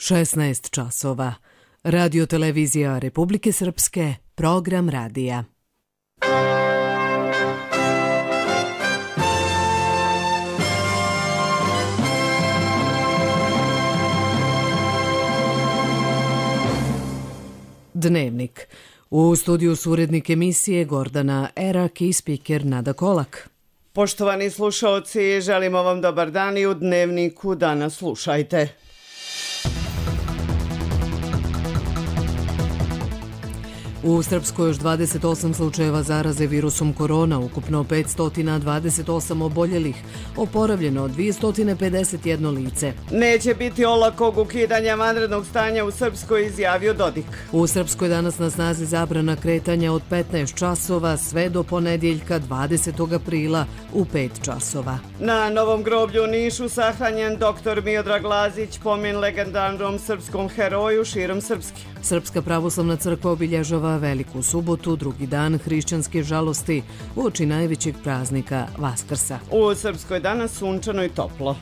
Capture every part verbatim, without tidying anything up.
šesnaest časova. Radio televizija Republike Srpske, program radija. Dnevnik. U studiju su urednik emisije Gordana Erak i spiker Nada Kolak. Poštovani slušaoci, želimo vam dobar dan i u Dnevniku danas slušajte. U Srpskoj još dvadeset osam slučajeva zaraze virusom korona, ukupno petsto dvadeset osam oboljelih, oporavljeno dvjesto pedeset jedno lice. Neće biti olakog ukidanja vanrednog stanja u Srpskoj, izjavio Dodik. U Srpskoj danas na snazi zabrana kretanja od petnaest časova sve do ponedjeljka dvadesetog aprila u pet časova. Na Novom groblju u Nišu sahranjen doktor Miodrag Lazić, pomen legendarnom srpskom heroju širom Srpske. Srpska pravoslavna crkva obilježava Veliku subotu, drugi dan hrišćanske žalosti, uoči najvećeg praznika Vaskrsa. U Srpskoj danas sunčano i toplo.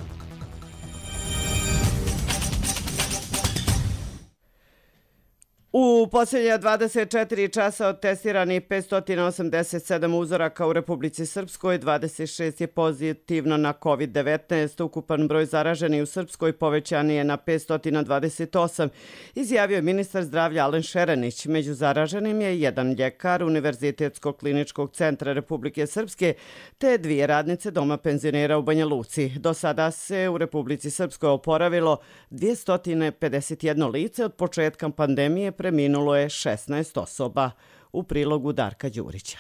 U posljednja dvadeset četiri časa od testirani petsto osamdeset sedam uzoraka u Republici Srpskoj, dvadeset šest je pozitivno na kovid devetnaest. Ukupan broj zaraženih u Srpskoj povećan je na petsto dvadeset osam, izjavio je ministar zdravlja Alen Šerenić. Među zaraženim je jedan ljekar Univerzitetskog kliničkog centra Republike Srpske te dvije radnice doma penzionera u Banja Luci. Do sada se u Republici Srpskoj oporavilo dvjesto pedeset jedno lice. Od početka pandemije preminulo je šesnaest osoba. U prilogu Darka Đurića.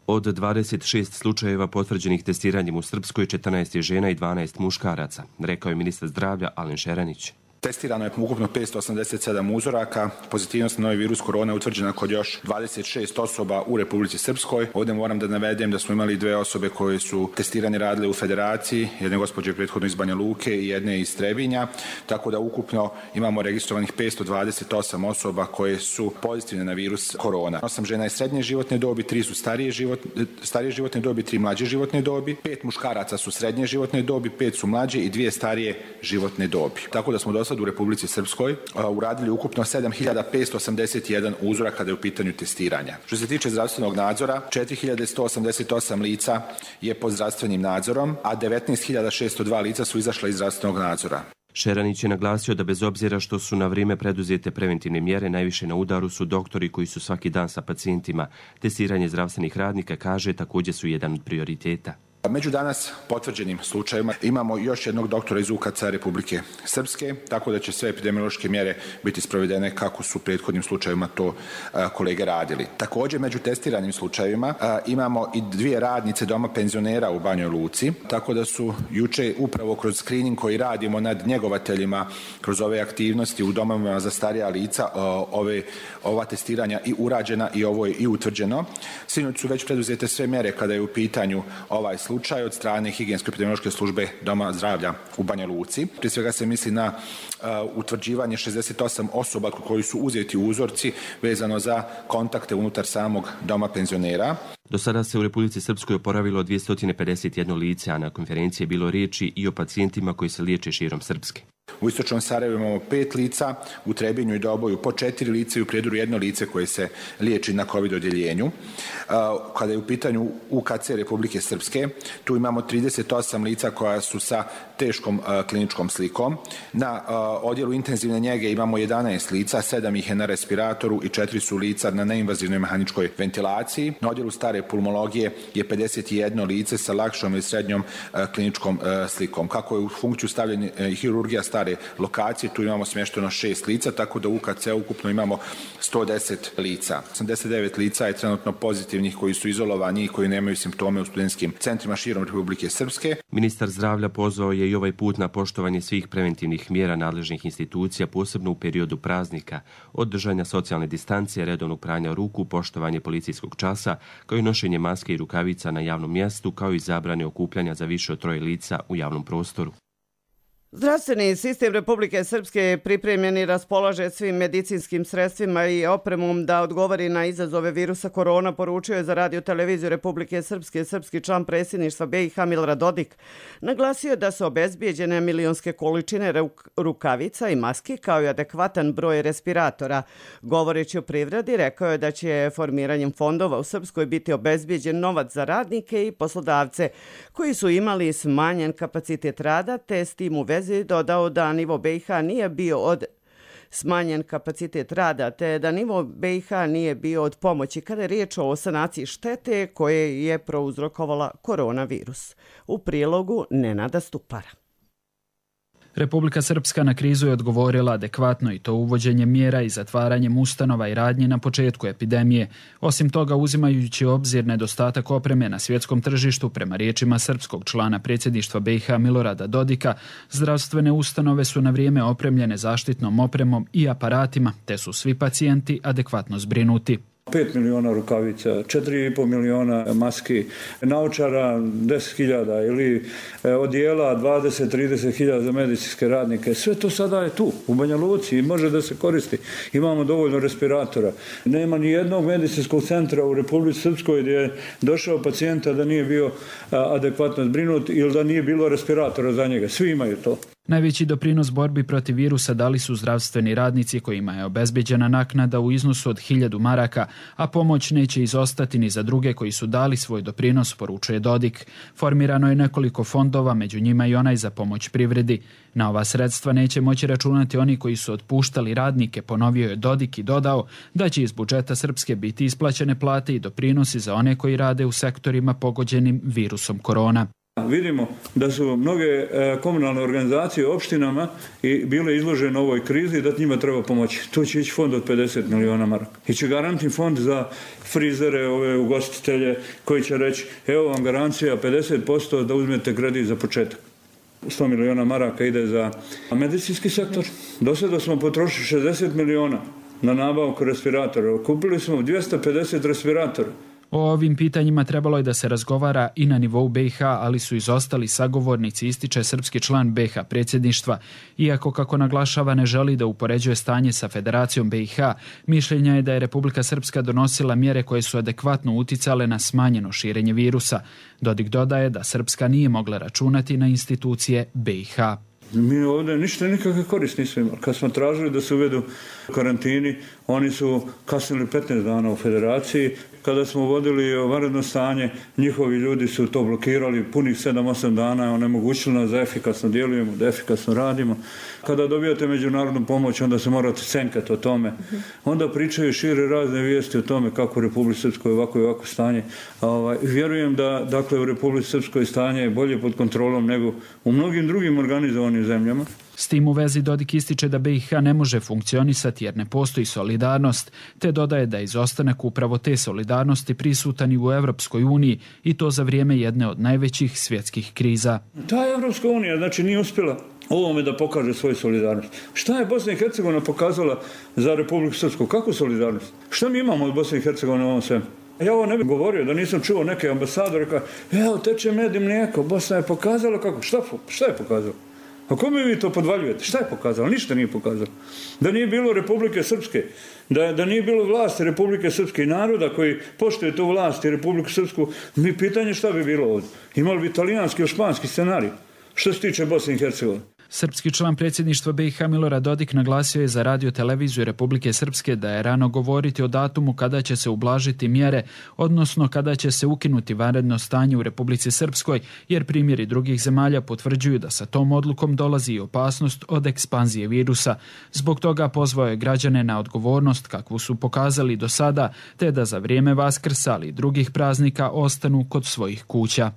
Od dvadeset šest slučajeva potvrđenih testiranjem u Srpskoj, četrnaest je žena i dvanaest muškaraca, rekao je ministar zdravlja Alen Šerenić. Testirano je ukupno petsto osamdeset sedam uzoraka. Pozitivnost na novi virus korona utvrđena kod još dvadeset šest osoba u Republici Srpskoj. Ovdje moram da navedem da smo imali dve osobe koje su testiranje radile u Federaciji, jedne gospođe prethodno iz Banja Luke i jedne iz Trebinja, tako da ukupno imamo registrovanih petsto dvadeset osam osoba koje su pozitivne na virus korona. Osam žena je srednje životne dobi, tri su starije, život, starije životne dobi, tri mlađe životne dobi, pet muškaraca su srednje životne dobi, pet su mlađe i dvije starije životne dobi. Tako da smo do u Republici Srpskoj uradili ukupno sedam hiljada petsto osamdeset jedan uzora kada je u pitanju testiranja. Što se tiče zdravstvenog nadzora, četiri hiljade sto osamdeset osam lica je pod zdravstvenim nadzorom, a devetnaest hiljada šesto dva lica su izašla iz zdravstvenog nadzora. Šeranić je naglasio da bez obzira što su na vrijeme preduzete preventivne mjere, najviše na udaru su doktori koji su svaki dan sa pacijentima. Testiranje zdravstvenih radnika, kaže, također su jedan od prioriteta. Među danas potvrđenim slučajevima imamo još jednog doktora iz U K C Republike Srpske, tako da će sve epidemiološke mjere biti sprovedene kako su u prethodnim slučajevima to a, kolege radili. Također među testiranim slučajevima a, imamo i dvije radnice doma penzionera u Banjoj Luci, tako da su juče upravo kroz screening koji radimo nad njegovateljima kroz ove aktivnosti u domovima za starija lica a, ove, ova testiranja i urađena i ovo je i utvrđeno. Sinoć su već preduzete sve mjere kada je u pitanju ovaj slučaj. slučaj od strane higijensko-epidemiološke službe Doma zdravlja u Banja Luci. Prije svega se misli na uh, utvrđivanje šezdeset osam osoba koji su uzeti uzorci vezano za kontakte unutar samog doma penzionera. Do sada se u Republici Srpskoj oporavilo dvjesto pedeset jedno lice, a na konferenciji je bilo riječi i o pacijentima koji se liječe širom Srpske. U Istočnom Sarajevu imamo pet lica, u Trebinju i Doboju po četiri lice i u Prijedoru jedno lice koje se liječi na COVID odjeljenju. Kada je u pitanju U K C Republike Srpske, tu imamo trideset osam lica koja su sa teškom kliničkom slikom. Na odjelu intenzivne njege imamo jedanaest lica, sedam ih je na respiratoru i četiri su lica na neinvazivnoj mehaničkoj ventilaciji. Na odjelu stare pulmologije je pedeset jedno lice sa lakšom i srednjom kliničkom slikom. Kako je u funkciju stavljena hirurgija stare lokacije, tu imamo smješteno šest lica, tako da u U K C ukupno imamo sto deset lica. osamdeset devet lica je trenutno pozitivnih koji su izolovani i koji nemaju simptome u studentskim centrima širom Republike Srpske. Ministar zdravlja pozvao je i ovaj put na poštovanje svih preventivnih mjera nadležnih institucija, posebno u periodu praznika, od držanja socijalne distancije, redovnog pranja ruku, poštovanje policijskog časa, kao i nošenje maske i rukavica na javnom mjestu, kao i zabrane okupljanja za više od troje lica u javnom prostoru. Zdravstveni sistem Republike Srpske pripremljen i raspolaže svim medicinskim sredstvima i opremom da odgovori na izazove virusa korona, poručio je za radio televiziju Republike Srpske srpski član predsjedništva B i H Milorad Dodik. Naglasio da su obezbijeđene milionske količine rukavica i maski kao i adekvatan broj respiratora. Govoreći o privredi, rekao je da će formiranjem fondova u Srpskoj biti obezbijeđen novac za radnike i poslodavce koji su imali smanjen kapacitet rada, te s tim u vezi dodao da nivo B i H nije bio od smanjen kapacitet rada, te da nivo B i H nije bio od pomoći kada je riječ o sanaciji štete koje je prouzrokovala koronavirus. U prilogu Nenada Stupara. Republika Srpska na krizu je odgovorila adekvatno i to uvođenjem mjera i zatvaranjem ustanova i radnji na početku epidemije. Osim toga, uzimajući obzir nedostatak opreme na svjetskom tržištu, prema riječima srpskog člana predsjedništva B i H Milorada Dodika, zdravstvene ustanove su na vrijeme opremljene zaštitnom opremom i aparatima, te su svi pacijenti adekvatno zbrinuti. pet miliona rukavica, četiri i pol miliona maski, naočara deset hiljada ili odijela dvadeset do trideset hiljada za medicinske radnike. Sve to sada je tu, u Banja Luci i može da se koristi. Imamo dovoljno respiratora. Nema ni jednog medicinskog centra u Republici Srpskoj gdje je došao pacijenta da nije bio adekvatno zbrinut ili da nije bilo respiratora za njega. Svi imaju to. Najveći doprinos borbi protiv virusa dali su zdravstveni radnici kojima je obezbeđena naknada u iznosu od hiljadu maraka, a pomoć neće izostati ni za druge koji su dali svoj doprinos, poručuje Dodik. Formirano je nekoliko fondova, među njima i onaj za pomoć privredi. Na ova sredstva neće moći računati oni koji su otpuštali radnike, ponovio je Dodik i dodao da će iz budžeta Srpske biti isplaćene plate i doprinosi za one koji rade u sektorima pogođenim virusom korona. Vidimo da su mnoge komunalne organizacije u opštinama i bile izložene ovoj krizi i da njima treba pomoći. To će ići fond od pedeset miliona maraka. Iće garantni fond za frizere, ove ugostitelje koji će reći evo vam garancija pedeset posto da uzmete kredit za početak. sto miliona maraka ide za medicinski sektor. Do sada smo potrošili šezdeset miliona na nabavku respiratora. Kupili smo dvjesto pedeset respiratora. O ovim pitanjima trebalo je da se razgovara i na nivou B i H, ali su izostali sagovornici, ističe srpski član B i H predsjedništva. Iako, kako naglašava, ne želi da upoređuje stanje sa Federacijom B i H, mišljenja je da je Republika Srpska donosila mjere koje su adekvatno uticale na smanjeno širenje virusa. Dodik dodaje da Srpska nije mogla računati na institucije B i H. Mi ovdje ništa nikakve koristi nismo imali. Kad smo tražili da se uvedu karantini, oni su kasnili petnaest dana u Federaciji. Kada smo vodili vanredno stanje, njihovi ljudi su to blokirali punih sedam osam dana, onemogućili nas da efikasno djelujemo, da efikasno radimo. Kada dobijate međunarodnu pomoć, onda se morate cenkati o tome. Onda pričaju šire razne vijesti o tome kako u Republici Srpskoj ovako i ovako stanje. Ovaj, vjerujem da dakle, u Republici Srpskoj stanje je bolje pod kontrolom nego u mnogim drugim organizovanim zemljama. S tim u vezi Dodik ističe da B i H ne može funkcionisati jer ne postoji solidarnost, te dodaje da je izostanak upravo te solidarnosti prisutan i u Evropskoj uniji i to za vrijeme jedne od najvećih svjetskih kriza. Ta Evropska unija znači nije uspjela ovome da pokaže svoju solidarnost. Šta je Bosna i Hercegovina pokazala za Republiku Srpsku? Kakvu solidarnost? Šta mi imamo od Bosne i Hercegovine u ovom svemu? Ja ovo ne bih govorio da nisam čuo neke ambasadore kao evo teče med i mlijeko, Bosna je pokazala kako? Šta, šta je pokazala? A kome vi to podvaljujete? Šta je pokazalo? Ništa nije pokazalo. Da nije bilo Republike Srpske, da, da nije bilo vlasti Republike Srpske i naroda koji poštuje tu vlast i Republiku Srpsku, mi pitanje šta bi bilo ovdje. Imali bi italijanski ili španski scenarij što se tiče Bosne i Hercegovine. Srpski član predsjedništva B i H Milorad Dodik naglasio je za radio televiziju Republike Srpske da je rano govoriti o datumu kada će se ublažiti mjere, odnosno kada će se ukinuti vanredno stanje u Republici Srpskoj, jer primjeri drugih zemalja potvrđuju da sa tom odlukom dolazi i opasnost od ekspanzije virusa. Zbog toga pozvao je građane na odgovornost kakvu su pokazali do sada, te da za vrijeme Vaskrsa ali i drugih praznika ostanu kod svojih kuća.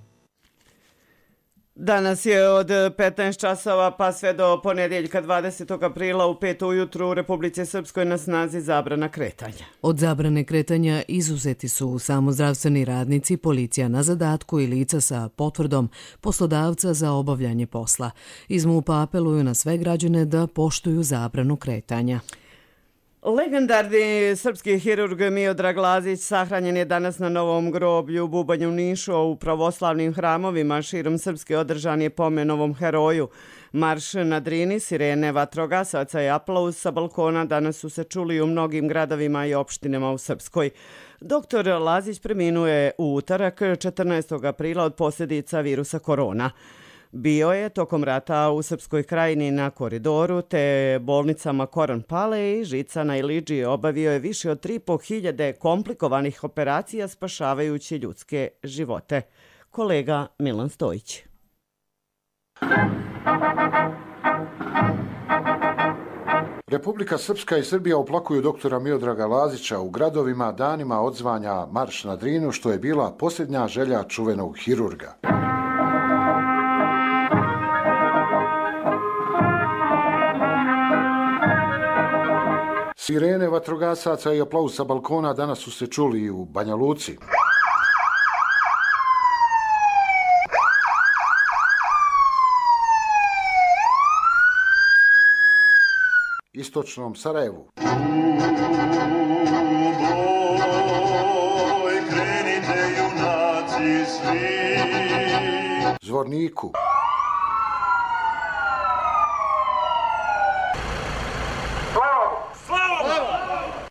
Danas je od petnaest časova pa sve do ponedjeljka dvadesetog aprila u pet ujutru u Republici Srpskoj na snazi zabrana kretanja. Od zabrane kretanja izuzeti su samo zdravstveni radnici, policija na zadatku i lica sa potvrdom poslodavca za obavljanje posla. Iz MUP-a apeluju na sve građane da poštuju zabranu kretanja. Legendarni srpski hirurg Miodrag Lazić sahranjen je danas na Novom groblju u Bubanju, Nišu, a u pravoslavnim hramovima širom Srpske održan je pomen ovom heroju. Marš na Drini, sirene vatrogasaca i aplauz sa balkona danas su se čuli u mnogim gradovima i opštinama u Srpskoj. Doktor Lazić preminuo je u utorak četrnaestog aprila od posljedica virusa korona. Bio je tokom rata u Srpskoj krajini na Koridoru te bolnicama Koran Pale i Žica na Iliđi. Obavio je više od tri i po hiljade komplikovanih operacija spašavajući ljudske živote. Kolega Milan Stojić. Republika Srpska i Srbija oplakuju doktora Miodraga Lazića u gradovima danima odzvanja Marš na Drinu, što je bila posljednja želja čuvenog hirurga. Sirene vatrogasaca i aplauz sa balkona danas su se čuli i u Banja Luci. Istočnom Sarajevu. Zvorniku.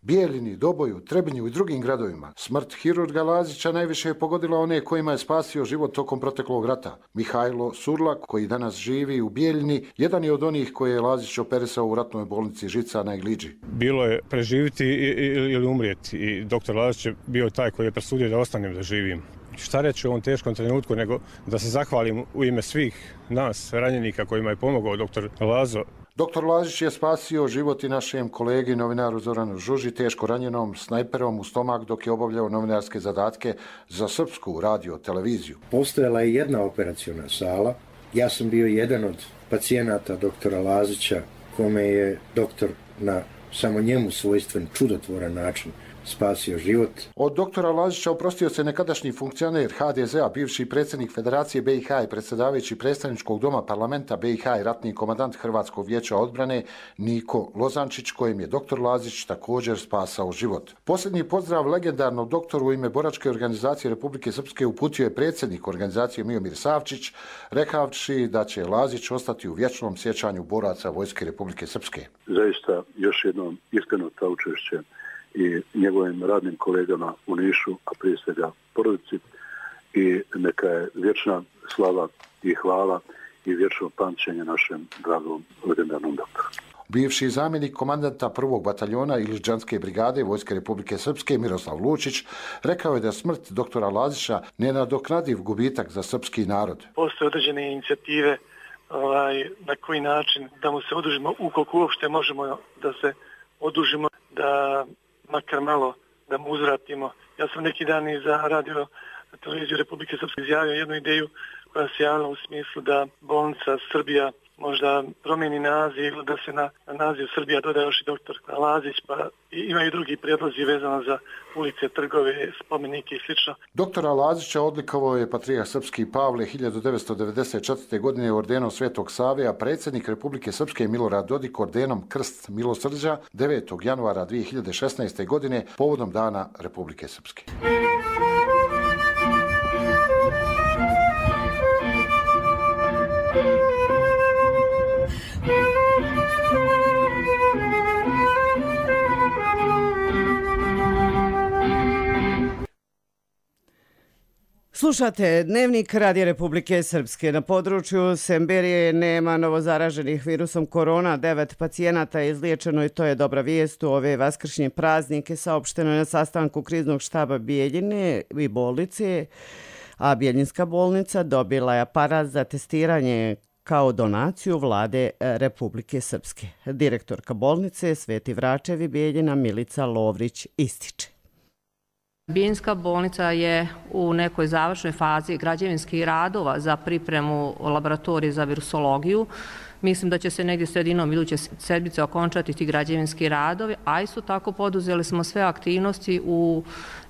Bijeljini, Doboju, Trebinju i drugim gradovima. Smrt hirurga Lazića najviše je pogodila one kojima je spasio život tokom proteklog rata. Mihajlo Surlak, koji danas živi u Bijeljini, jedan je od onih koje je Lazić operisao u ratnoj bolnici Žica na Iliđi. Bilo je preživiti ili umrijeti i doktor Lazić je bio taj koji je presudio da ostanem da živim. Šta reći u ovom teškom trenutku nego da se zahvalim u ime svih nas ranjenika kojima je pomogao doktor Lazo. Doktor Lazić je spasio život i našem kolegi novinaru Zoranu Žuži, teško ranjenom snajperom u stomak dok je obavljao novinarske zadatke za srpsku radio televiziju. Postojala je jedna operaciona sala. Ja sam bio jedan od pacijenata doktora Lazića kome je doktor na samo njemu svojstven čudotvoran način spasio život. Od doktora Lazića oprostio se nekadašnji funkcioner ha de zea, bivši predsjednik Federacije be i ha i predsjedavajući predstavničkog doma parlamenta be i ha i ratni komandant Hrvatskog vijeća odbrane Niko Lozančić, kojem je doktor Lazić također spasao život. Posljednji pozdrav legendarnom doktoru u ime Boračke organizacije Republike Srpske uputio je predsjednik organizacije Miomir Savčić, rekavši da će Lazić ostati u vječnom sjećanju boraca Vojske Republike Srpske. Zaista još jednom iskreno saučešće i njegovim radnim kolegama u Nišu, a prije svega porodici, i neka je vječna slava i hvala i vječno pamćenje našem dragom legendarnom doktoru. Bivši zamjenik komandanta prvog bataljona Iliđanske brigade Vojske Republike Srpske Miroslav Lučić rekao je da smrt doktora Lazića nenadoknadiv gubitak za srpski narod. Postoje određene inicijative ovaj, na koji način da mu se odužimo, ukoliko uopšte možemo da se odužimo, da makar malo da mu uzvratimo. Ja sam neki dan i za radio televiziju Republike Srpske izjavio jednu ideju koja se javila u smislu da bolnica Srbija možda promijeni naziv ili da se na, na naziv Srbija doda još i doktor Lazić, pa imaju drugi prijedlozi vezano za ulice, trgove, spomenike i slično. Doktora Lazića odlikovao je patrijarh srpski Pavle hiljadu devetsto devedeset četvrte. godine ordenom Svetog Save, a predsjednik Republike Srpske Milorad Dodik ordenom Krst milosrđa devetog januara dvije hiljade šesnaeste. godine povodom Dana Republike Srpske. Slušate Dnevnik Radija Republike Srpske. Na području Semberije nema novozaraženih virusom korona. Devet pacijenata je izliječeno i to je dobra vijest. U ove vaskršnje praznike saopšteno je na sastanku kriznog štaba Bijeljine i bolnice, a Bijeljinska bolnica dobila je aparat za testiranje kao donaciju vlade Republike Srpske. Direktorka bolnice Sveti Vračevi Bijeljina Milica Lovrić ističe. Bijeljinska bolnica je u nekoj završnoj fazi građevinskih radova za pripremu laboratorije za virusologiju. Mislim da će se negdje sredinom iduće sedmice okončati ti građevinski radovi, a isto tako poduzeli smo sve aktivnosti u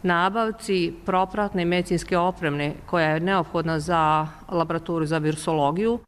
nabavci propratne medicinske opreme koja je neophodna za laboratoriju za virusologiju.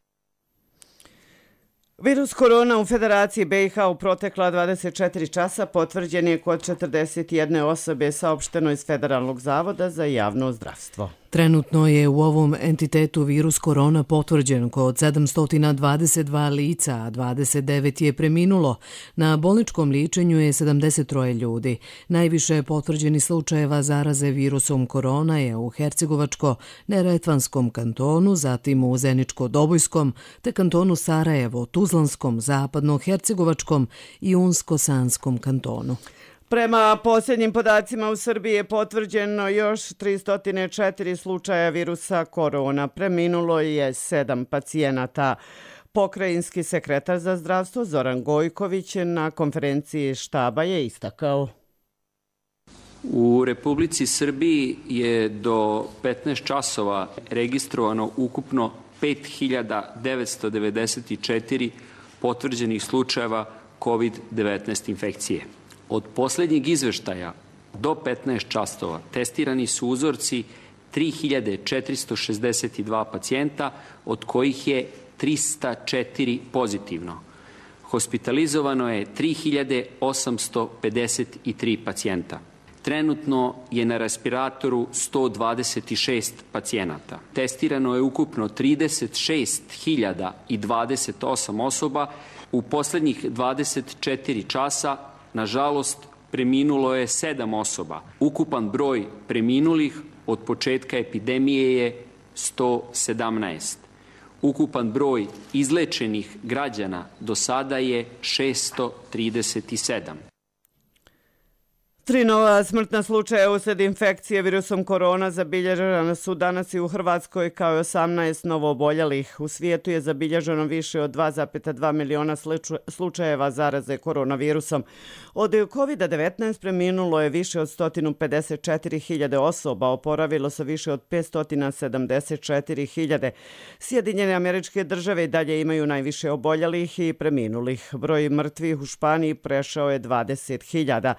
Virus korona u Federaciji B i H u protekla dvadeset četiri časa potvrđen je kod četrdeset jedne osobe, saopšteno iz Federalnog zavoda za javno zdravstvo. Trenutno je u ovom entitetu virus korona potvrđen kod sedamsto dvadeset dva lica, a dvadeset devet je preminulo. Na bolničkom liječenju je sedamdeset troje ljudi. Najviše potvrđeni slučajeva zaraze virusom korona je u Hercegovačko-Neretvanskom kantonu, zatim u Zeničko-Dobojskom, te kantonu Sarajevo, Tuzlanskom, Zapadno-Hercegovačkom i Unsko-Sanskom kantonu. Prema posljednjim podacima u Srbiji je potvrđeno još tristo četiri slučaja virusa korona. Preminulo je sedam pacijenata. Pokrajinski sekretar za zdravstvo Zoran Gojković na konferenciji štaba je istakao. U Republici Srbiji je do petnaest časova registrovano ukupno pet hiljada devetsto devedeset četiri potvrđenih slučajeva kovid devetnaest infekcije. Od posljednjeg izveštaja do petnaest časova testirani su uzorci tri hiljade četiristo šezdeset dva pacijenta, od kojih je trista četiri pozitivno. Hospitalizovano je tri hiljade osamsto pedeset tri pacijenta. Trenutno je na respiratoru sto dvadeset šest pacijenata. Testirano je ukupno trideset šest hiljada dvadeset osam osoba. U posljednjih dvadeset četiri časa nažalost, preminulo je sedam osoba. Ukupan broj preminulih od početka epidemije je sto sedamnaest. Ukupan broj izlečenih građana do sada je šesto trideset sedam. Tri nova smrtna slučaja uslijed infekcije virusom korona zabilježena su danas i u Hrvatskoj, kao i osamnaest novooboljelih. U svijetu je zabilježeno više od dva zarez dva miliona slučajeva zaraze koronavirusom. Od kovid devetnaest preminulo je više od sto pedeset četiri hiljade osoba, oporavilo se više od petsto sedamdeset četiri hiljade. Sjedinjene Američke Države i dalje imaju najviše oboljelih i preminulih. Broj mrtvih u Španiji prešao je dvadeset hiljada.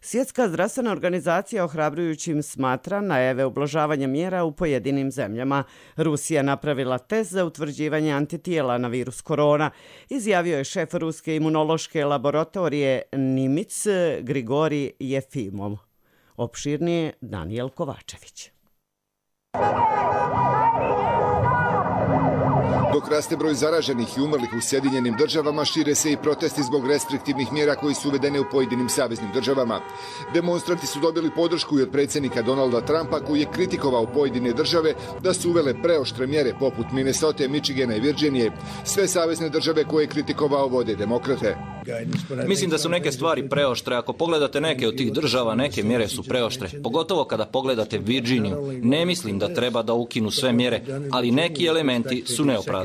Svjetska zdravstvena organizacija ohrabrujućim smatra najave ublažavanja mjera u pojedinim zemljama. Rusija napravila test za utvrđivanje antitijela na virus korona, izjavio je šef ruske imunološke laboratorije Nimic Grigori Jefimov. Opširnije Danijel Kovačević. Dok raste broj zaraženih i umrlih u Sjedinjenim državama, šire se i protesti zbog restriktivnih mjera koji su uvedene u pojedinim saveznim državama. Demonstranti su dobili podršku i od predsjednika Donalda Trumpa, koji je kritikovao pojedine države da su uvele preoštre mjere poput Minnesote, Michigana i Virginije. Sve savezne države koje je kritikovao vode demokrate. Mislim da su neke stvari preoštre. Ako pogledate neke od tih država, neke mjere su preoštre. Pogotovo kada pogledate Virginiju. Ne mislim da treba da ukinu sve mjere, ali neki elementi su neopravdani.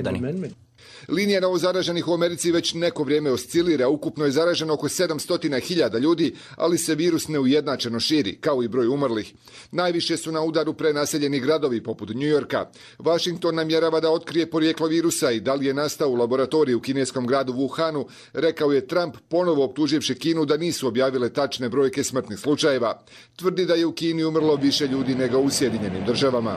Linija novozaraženih u Americi već neko vrijeme oscilira. Ukupno je zaraženo oko sedamsto hiljada ljudi, ali se virus neujednačeno širi, kao i broj umrlih. Najviše su na udaru prenaseljeni gradovi poput Njujorka. Washington namjerava da otkrije porijeklo virusa i da li je nastao u laboratoriji u kineskom gradu Wuhanu, rekao je Trump, ponovo optuživši Kinu da nisu objavile tačne brojke smrtnih slučajeva. Tvrdi da je u Kini umrlo više ljudi nego u Sjedinjenim državama.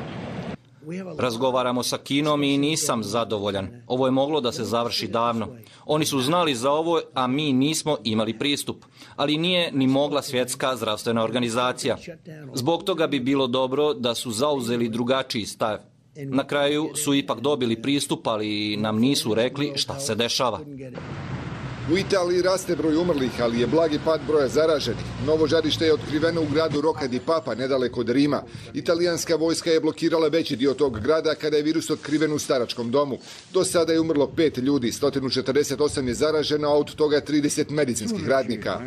Razgovaramo sa Kinom i nisam zadovoljan. Ovo je moglo da se završi davno. Oni su znali za ovo, a mi nismo imali pristup. Ali nije ni mogla Svjetska zdravstvena organizacija. Zbog toga bi bilo dobro da su zauzeli drugačiji stav. Na kraju su ipak dobili pristup, ali nam nisu rekli šta se dešava. U Italiji raste broj umrlih, ali je blagi pad broja zaraženih. Novo žarište je otkriveno u gradu Rocca di Papa, nedaleko od Rima. Italijanska vojska je blokirala veći dio tog grada kada je virus otkriven u staračkom domu. Do sada je umrlo pet ljudi, sto četrdeset osam je zaraženo, a od toga trideset medicinskih radnika.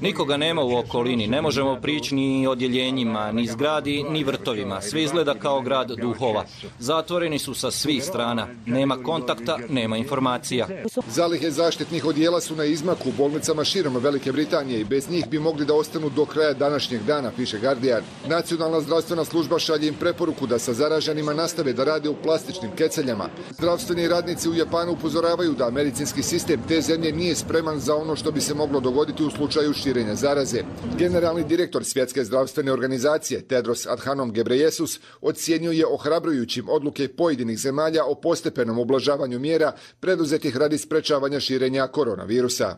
Nikoga nema u okolini, ne možemo prići ni odjeljenjima, ni zgradi, ni vrtovima. Sve izgleda kao grad duhova. Zatvoreni su sa svih strana. Nema kontakta, nema informacija. Zalihe zaštitnih odjela su na izmaku u bolnicama širom Velike Britanije i bez njih bi mogli da ostanu do kraja današnjeg dana, piše Guardian. Nacionalna zdravstvena služba šalje im preporuku da sa zaraženima nastave da rade u plastičnim keceljama. Zdravstveni radnici u Japanu upozoravaju da medicinski sistem te zemlje nije spreman za ono što bi se moglo dogoditi u slučaju slučaju širenja zaraze. Generalni direktor Svjetske zdravstvene organizacije Tedros Adhanom Ghebreyesus ocjenjuje ohrabrujućim odluke pojedinih zemalja o postepenom ublažavanju mjera preduzetih radi sprečavanja širenja koronavirusa.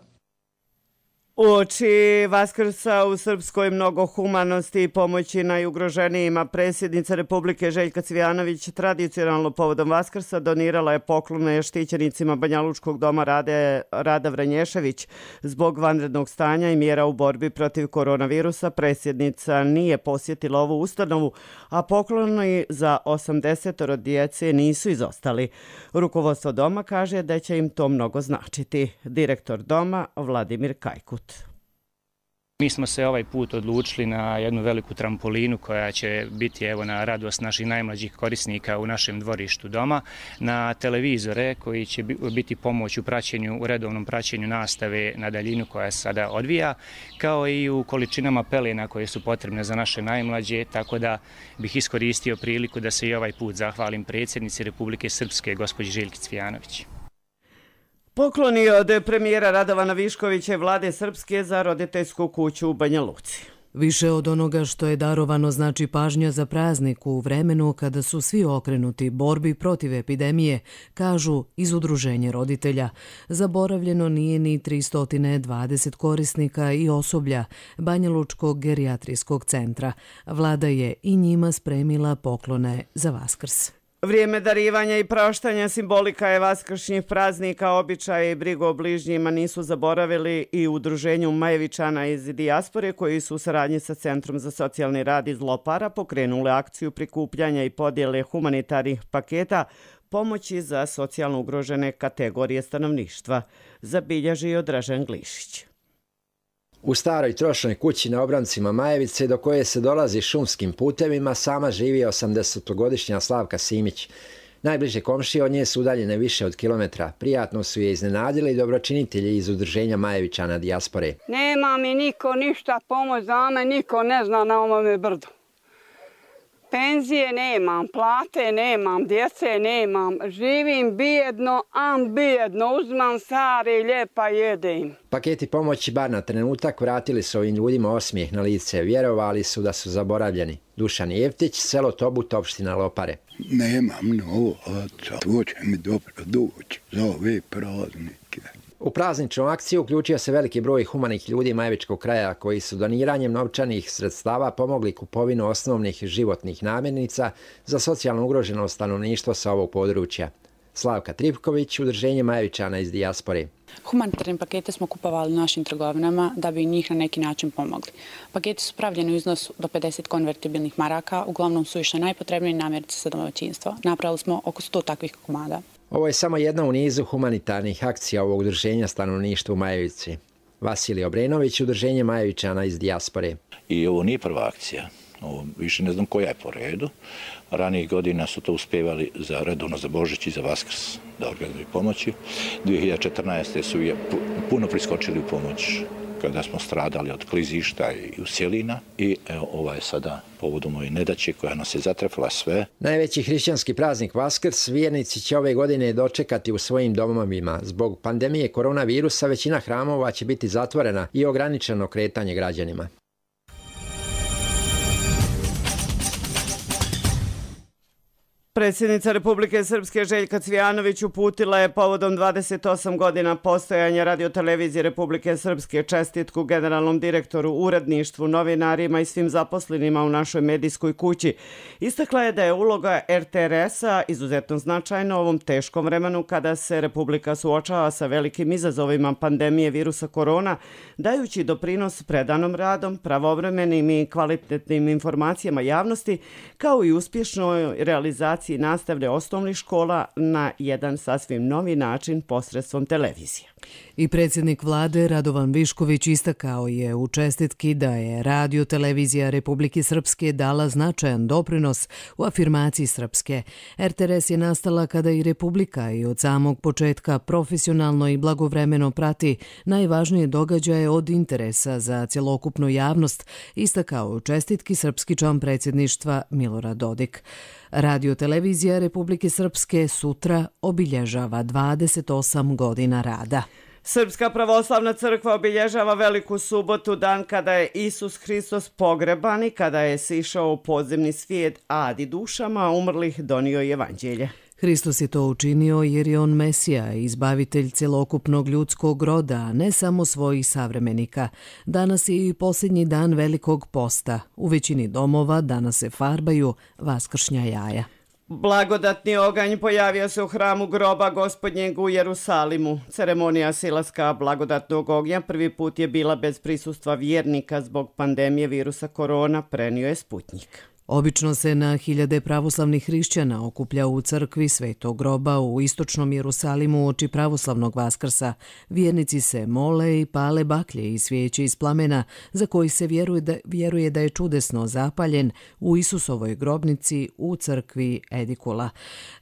Uoči Vaskrsa u Srpskoj mnogo humanosti i pomoći najugroženijima, predsjednica Republike Željka Cvijanović tradicionalno povodom Vaskrsa donirala je poklone štićenicima Banjalučkog doma Rade, Rada Vranješević. Zbog vanrednog stanja i mjera u borbi protiv koronavirusa predsjednica nije posjetila ovu ustanovu, a pokloni za osamdeset djece nisu izostali. Rukovodstvo doma kaže da će im to mnogo značiti. Direktor doma Vladimir Kajkut. Mi smo se ovaj put odlučili na jednu veliku trampolinu koja će biti evo na radost naših najmlađih korisnika u našem dvorištu doma, na televizore koji će biti pomoć u praćenju, u redovnom praćenju nastave na daljinu koja se sada odvija, kao i u količinama pelena koje su potrebne za naše najmlađe, tako da bih iskoristio priliku da se i ovaj put zahvalim predsjednici Republike Srpske, gospođi Željki Cvijanović. Pokloni od premijera Radovana Viškovića i vlade Srpske za roditeljsku kuću u Banja Luci. Više od onoga što je darovano znači pažnja za praznik u vremenu kada su svi okrenuti borbi protiv epidemije, kažu iz Udruženja roditelja. Zaboravljeno nije ni tristo dvadeset korisnika i osoblja Banjalučkog gerijatrijskog centra. Vlada je i njima spremila poklone za Vaskrs. Vrijeme darivanja i praštanja simbolika je vaskršnjih praznika, običaje i brigu o bližnjima nisu zaboravili i u Udruženju Majevičana iz dijaspore koji su u saradnji sa Centrom za socijalni rad iz Lopara pokrenuli akciju prikupljanja i podjele humanitarnih paketa pomoći za socijalno ugrožene kategorije stanovništva, zabilježio Dražen Glišić. U staroj trošnoj kući na obrancima Majevice, do koje se dolazi šumskim putevima, sama živi osamdesetogodišnja Slavka Simić. Najbliže komšije od nje su udaljene više od kilometra. Prijatno su je iznenadili dobročinitelji iz Udruženja Majevičana dijaspore. Nema mi niko ništa pomoć za me, niko ne zna na ovome brdu. Penzije nemam, plate nemam, djece nemam, živim bijedno, am bijedno, uzmam stare i lijepa jedem. Paketi pomoći bar na trenutak vratili su ovim ljudima osmijeh na lice, vjerovali su da su zaboravljeni. Dušan Jeftić, selo Tobut, opština Lopare. Nemam novaca, to će mi dobro doći za ove praznike. U prazničnu akciju uključio se veliki broj humanih ljudi Majevičkog kraja koji su doniranjem novčanih sredstava pomogli kupovinu osnovnih životnih namirnica za socijalno ugroženo stanovništvo sa ovog područja. Slavka Tripković, Udruženje Majevičana iz dijaspore. Humanitarne pakete smo kupovali u našim trgovinama da bi njih na neki način pomogli. Paketi su pravljeni u iznosu do pedeset konvertibilnih maraka, uglavnom su išle najpotrebnije namirnice za domaćinstvo. Napravili smo oko sto takvih komada. Ovo je samo jedna u nizu humanitarnih akcija ovog udruženja stanovništva u Majevici. Vasilij Obrenović, Udruženje Majevičana iz dijaspore. I ovo nije prva akcija. Ovo više ne znam koja je po redu. Ranijih godina su to uspjevali za redovno za Božić i za Vaskrs da organizuju pomoći. dvije hiljade četrnaeste. su je puno priskočili u pomoć kada smo stradali od klizišta i usjelina i evo, ova je sada povodom ove nedaće koja nas je zatrefila sve. Najveći hrišćanski praznik Vaskrs vjernici će ove godine dočekati u svojim domovima. Zbog pandemije koronavirusa većina hramova će biti zatvorena i ograničeno kretanje građanima. Predsjednica Republike Srpske Željka Cvijanović uputila je povodom dvadeset osam godina postojanja radiotelevizije Republike Srpske čestitku generalnom direktoru, uredništvu, novinarima i svim zaposlenima u našoj medijskoj kući. Istakla je da je uloga er te er es-a izuzetno značajna u ovom teškom vremenu kada se Republika suočava sa velikim izazovima pandemije virusa korona, dajući doprinos predanom radom, pravovremenim i kvalitetnim informacijama javnosti, kao i uspješnoj realizaciji nastavne osnovnih škola na jedan sasvim novi način posredstvom televizije. I predsjednik vlade Radovan Višković istakao je u čestitki da je radio televizija Republike Srpske dala značajan doprinos u afirmaciji Srpske. er te er es je nastala kada i Republika i od samog početka profesionalno i blagovremeno prati najvažnije događaje od interesa za cjelokupnu javnost, istakao u čestitki srpski član predsjedništva Milorad Dodik. Radio televizija Republike Srpske sutra obilježava dvadeset osam godina rada. Srpska pravoslavna crkva obilježava Veliku subotu, dan kada je Isus Hristos pogreban i kada je sišao u podzemni svijet, a adi dušama umrlih donio evanđelje. Hristos je to učinio jer je on Mesija, izbavitelj celokupnog ljudskog roda, a ne samo svojih savremenika. Danas je i posljednji dan Velikog posta. U većini domova danas se farbaju vaskršnja jaja. Blagodatni oganj pojavio se u hramu groba Gospodnjeg u Jerusalimu. Ceremonija silaska blagodatnog ognja prvi put je bila bez prisustva vjernika zbog pandemije virusa korona, prenio je Sputnjik. Obično se na hiljade pravoslavnih hrišćana okuplja u crkvi Svetog groba u istočnom Jerusalimu uoči pravoslavnog Vaskrsa. Vjernici se mole i pale baklje i svijeće iz plamena za koji se vjeruje da, vjeruje da je čudesno zapaljen u Isusovoj grobnici u crkvi Edikula.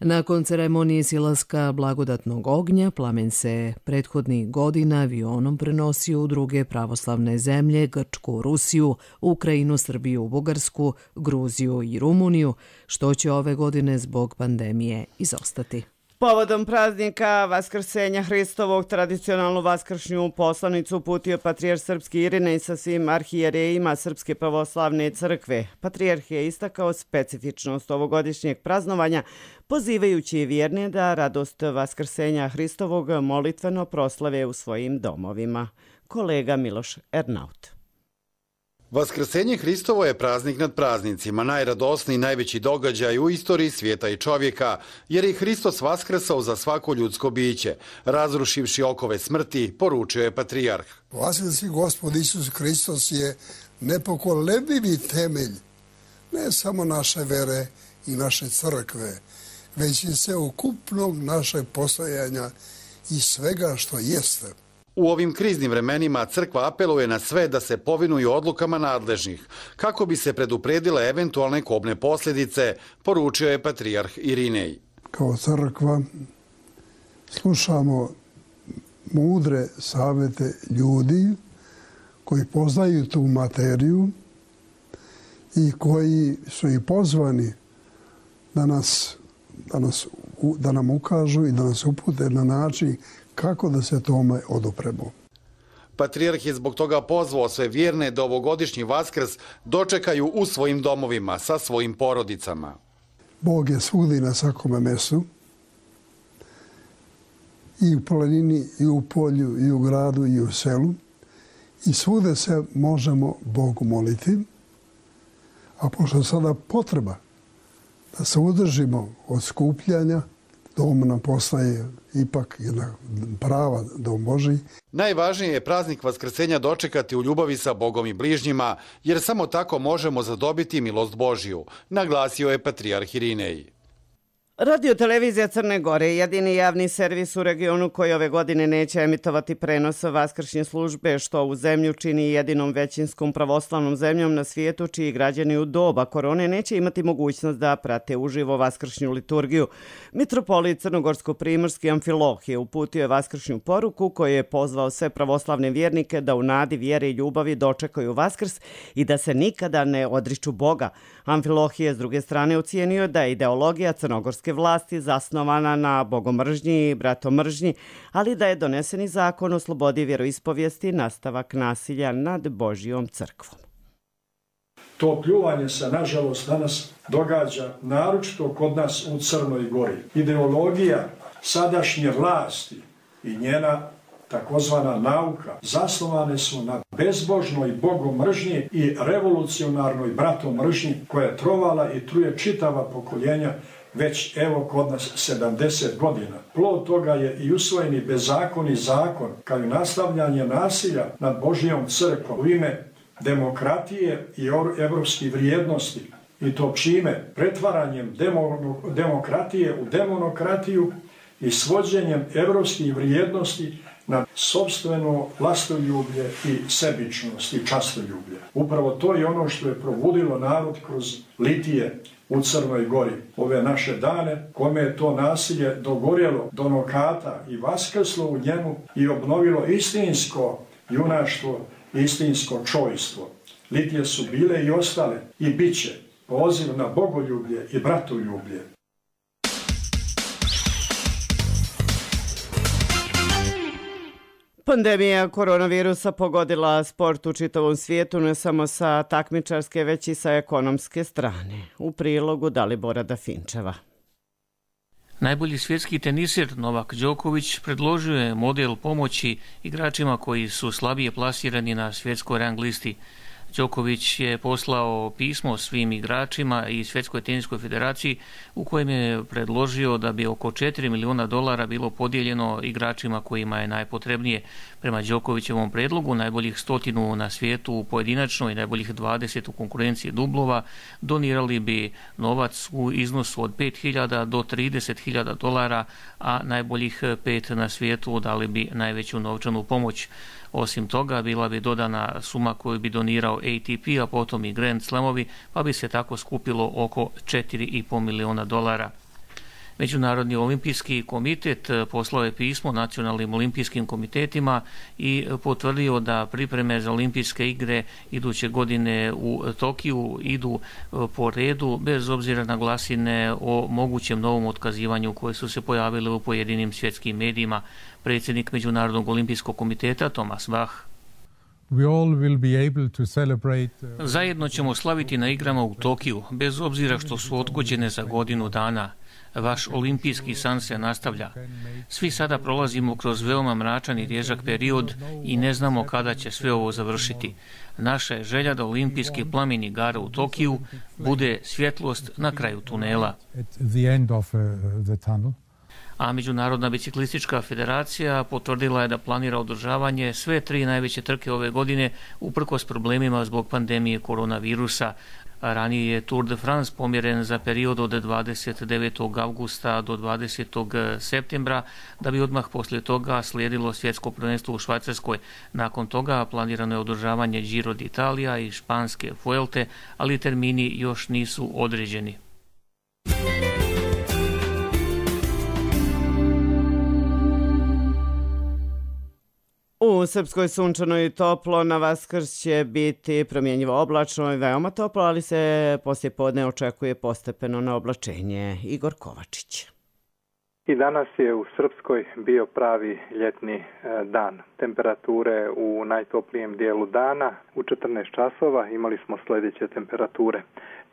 Nakon ceremonije silaska blagodatnog ognja, plamen se prethodnih godina avionom prenosio u druge pravoslavne zemlje, Grčku, Rusiju, Ukrajinu, Srbiju, Bugarsku, Gruziju i Rumuniju, što će ove godine zbog pandemije izostati. Povodom praznika Vaskrsenja Hristovog tradicionalnu vaskršnju poslanicu uputio patrijarh srpski Irinej sa svim arhijerejima Srpske pravoslavne crkve. Patrijarh je istakao specifičnost ovogodišnjeg praznovanja, pozivajući vjerne da radost Vaskrsenja Hristovog molitveno proslave u svojim domovima. Kolega Miloš Ernaut. Vaskrsenje Hristovo je praznik nad praznicima, najradosniji i najveći događaj u istoriji svijeta i čovjeka, jer je Hristos vaskrsao za svako ljudsko biće, razrušivši okove smrti, poručio je patrijarh. Vaskrsi Gospod Isus Hristos je nepokolebljivi temelj ne samo naše vere i naše crkve, već i sveukupnog našeg postojanja i svega što jeste. U ovim kriznim vremenima crkva apeluje na sve da se povinuju odlukama nadležnih, kako bi se predupredile eventualne kobne posljedice, poručio je patrijarh Irinej. Kao crkva slušamo mudre savjete ljudi koji poznaju tu materiju i koji su i pozvani da, nas, da, nas, da nam ukažu i da nas upute na način kako da se tome odupremo. Patrijarh je zbog toga pozvao sve vjerne da ovogodišnji Vaskrs dočekaju u svojim domovima sa svojim porodicama. Bog je svugdje na svakome mjestu, i u planini, i u polju, i u gradu, i u selu. I svugdje se možemo Bogu moliti, a pošto sada potreba da se udržimo od skupljanja, dom nam postaje ipak jedna prava dom Božji. Najvažnije je praznik Vaskrsenja dočekati u ljubavi sa Bogom i bližnjima, jer samo tako možemo zadobiti milost Božju, naglasio je patrijarh Irinej. Radio televizija Crne Gore je jedini javni servis u regionu koji ove godine neće emitovati prenos vaskršnje službe, što u zemlju čini jedinom većinskom pravoslavnom zemljom na svijetu čiji građani u doba korone neće imati mogućnost da prate uživo vaskršnju liturgiju. Mitropolit crnogorsko-primorski Amfilohije uputio je vaskršnju poruku koju je pozvao sve pravoslavne vjernike da u nadi vjere i ljubavi dočekaju Vaskrs i da se nikada ne odriču Boga. Amfilohije s druge strane ocijenio da je ideologija crnogorske vlasti zasnovana na bogomržnji i bratomržnji, ali da je doneseni zakon o slobodi vjeroispovijesti nastavak nasilja nad Božjom crkvom. To pljuvanje se, nažalost, danas događa naročito kod nas u Crnoj Gori. Ideologija sadašnje vlasti i njena takozvana nauka zasnovane su na bezbožnoj bogomržnji i revolucionarnoj bratomržnji koja je trovala i truje čitava pokoljenja već evo kod nas sedamdeset godina. Plod toga je i usvojeni bezakoni zakon kao i nastavljanje nasilja nad Božjom crkvom u ime demokratije i evropskih vrijednosti. I to čime? Pretvaranjem demo, demokratije u demonokratiju i svođenjem evropskih vrijednosti na sopstveno vlastoljublje i sebičnost i častoljublje. Upravo to je ono što je probudilo narod kroz litije u Crnoj Gori. Ove naše dane, kome je to nasilje dogorjelo do nokata i vaskrslo u njemu i obnovilo istinsko junaštvo, istinsko čojstvo. Litije su bile i ostale i bit će poziv na bogoljublje i bratoljublje. Pandemija koronavirusa pogodila sport u čitavom svijetu, ne samo sa takmičarske, već i sa ekonomske strane. U prilogu Dalibora Dafinčeva. Najbolji svjetski teniser Novak Đoković predložio je model pomoći igračima koji su slabije plasirani na svjetskoj rang listi. Đoković je poslao pismo svim igračima i Svjetskoj teniskoj federaciji u kojem je predložio da bi oko četiri milijuna dolara bilo podijeljeno igračima kojima je najpotrebnije. Prema Đokovićevom predlogu najboljih stotinu na svijetu u pojedinačnoj i najboljih dvadeset u konkurenciji dublova donirali bi novac u iznosu od pet hiljada do trideset hiljada dolara, a najboljih pet na svijetu dali bi najveću novčanu pomoć. Osim toga, bila bi dodana suma koju bi donirao A T P, a potom i Grand Slamovi, pa bi se tako skupilo oko četiri i pol milijuna dolara. Međunarodni olimpijski komitet poslao je pismo nacionalnim olimpijskim komitetima i potvrdio da pripreme za olimpijske igre iduće godine u Tokiju idu po redu bez obzira na glasine o mogućem novom otkazivanju koje su se pojavile u pojedinim svjetskim medijima. Predsjednik Međunarodnog olimpijskog komiteta Thomas Bach: Zajedno ćemo slaviti na igrama u Tokiju, bez obzira što su odgođene za godinu dana. Vaš olimpijski san se nastavlja. Svi sada prolazimo kroz veoma mračan i težak period i ne znamo kada će sve ovo završiti. Naša je želja da olimpijski plamen igara u Tokiju bude svjetlost na kraju tunela. A Međunarodna biciklistička federacija potvrdila je da planira održavanje sve tri najveće trke ove godine uprkos problemima zbog pandemije koronavirusa. Ranije je Tour de France pomjeren za period od dvadeset devetog avgusta do dvadesetog septembra, da bi odmah poslije toga slijedilo svjetsko prvenstvo u Švajcarskoj. Nakon toga planirano je održavanje Giro d'Italia i španske Vuelte, ali termini još nisu određeni. U Srpskoj sunčano i toplo, na Vaskrs će biti promjenjivo oblačno i veoma toplo, ali se poslije podne očekuje postepeno na oblačenje. Igor Kovačić. I danas je u Srpskoj bio pravi ljetni dan. Temperature u najtoplijem dijelu dana u četrnaest časova imali smo sljedeće temperature.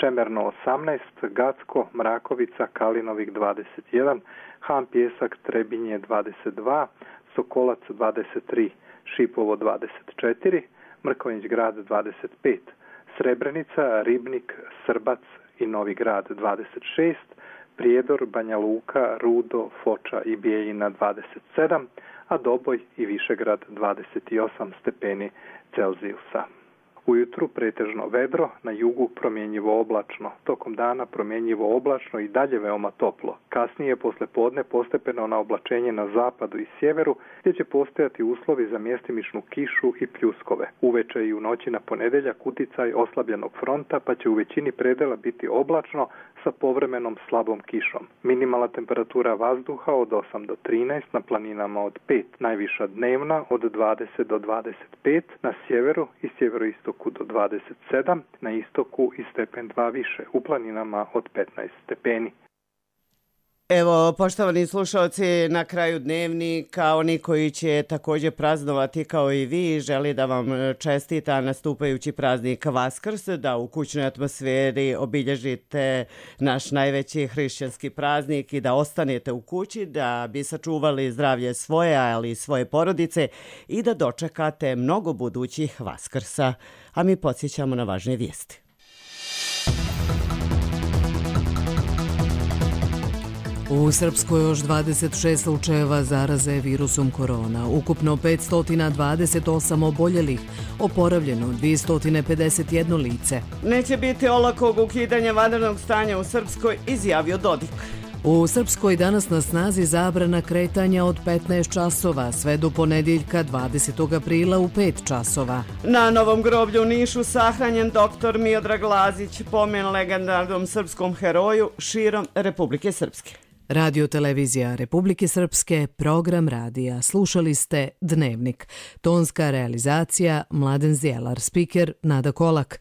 Čemerno osamnaest, Gacko, Mrakovica, Kalinovik dvadeset jedan, Han Pjesak, Trebinje dvadeset dva, Sokolac dvadeset tri, Šipovo dvadeset četiri, Mrkonjić grad dvadeset pet, Srebrenica, Ribnik, Srbac i Novi grad dvadeset šest, Prijedor, Banja Luka, Rudo, Foča i Bijeljina dvadeset sedam, a Doboj i Višegrad dvadeset osam stepeni Celzijusa. Ujutru pretežno vedro, na jugu promjenjivo oblačno, tokom dana promjenjivo oblačno i dalje veoma toplo. Kasnije posle podne postepeno na oblačenje na zapadu i sjeveru, gdje će postojati uslovi za mjestimičnu kišu i pljuskove. Uveče i u noći na ponedeljak uticaj oslabljenog fronta, pa će u većini predela biti oblačno sa povremenom slabom kišom. Minimalna temperatura vazduha od osam do trinaest, na planinama od pet, najviša dnevna od dvadeset do dvadeset pet, na sjeveru i sjeveroistoku do dvadeset sedam, na istoku i stepen dva više, u planinama od petnaest stepeni. Evo, poštovani slušalci, na kraju dnevnika, oni koji će također praznovati kao i vi, želi da vam čestita nastupajući praznik Vaskrs, da u kućnoj atmosferi obilježite naš najveći hrišćanski praznik i da ostanete u kući, da bi sačuvali zdravlje svoje, ali i svoje porodice i da dočekate mnogo budućih Vaskrsa. A mi podsjećamo na važne vijesti. U Srpskoj još dvadeset šest slučajeva zaraze virusom korona, ukupno petsto dvadeset osam oboljelih, oporavljeno dvjesto pedeset jedno lice. Neće biti olakog ukidanja vanrednog stanja u Srpskoj, izjavio Dodik. U Srpskoj danas na snazi zabrana kretanja od petnaest časova, sve do ponedjeljka dvadesetog aprila u pet časova. Na Novom groblju u Nišu sahranjen doktor Miodrag Lazić, pomen legendarnom srpskom heroju širom Republike Srpske. Radio televizija Republike Srpske, program radija. Slušali ste Dnevnik. Tonska realizacija Mladen Zjelar, spiker Nada Kolak,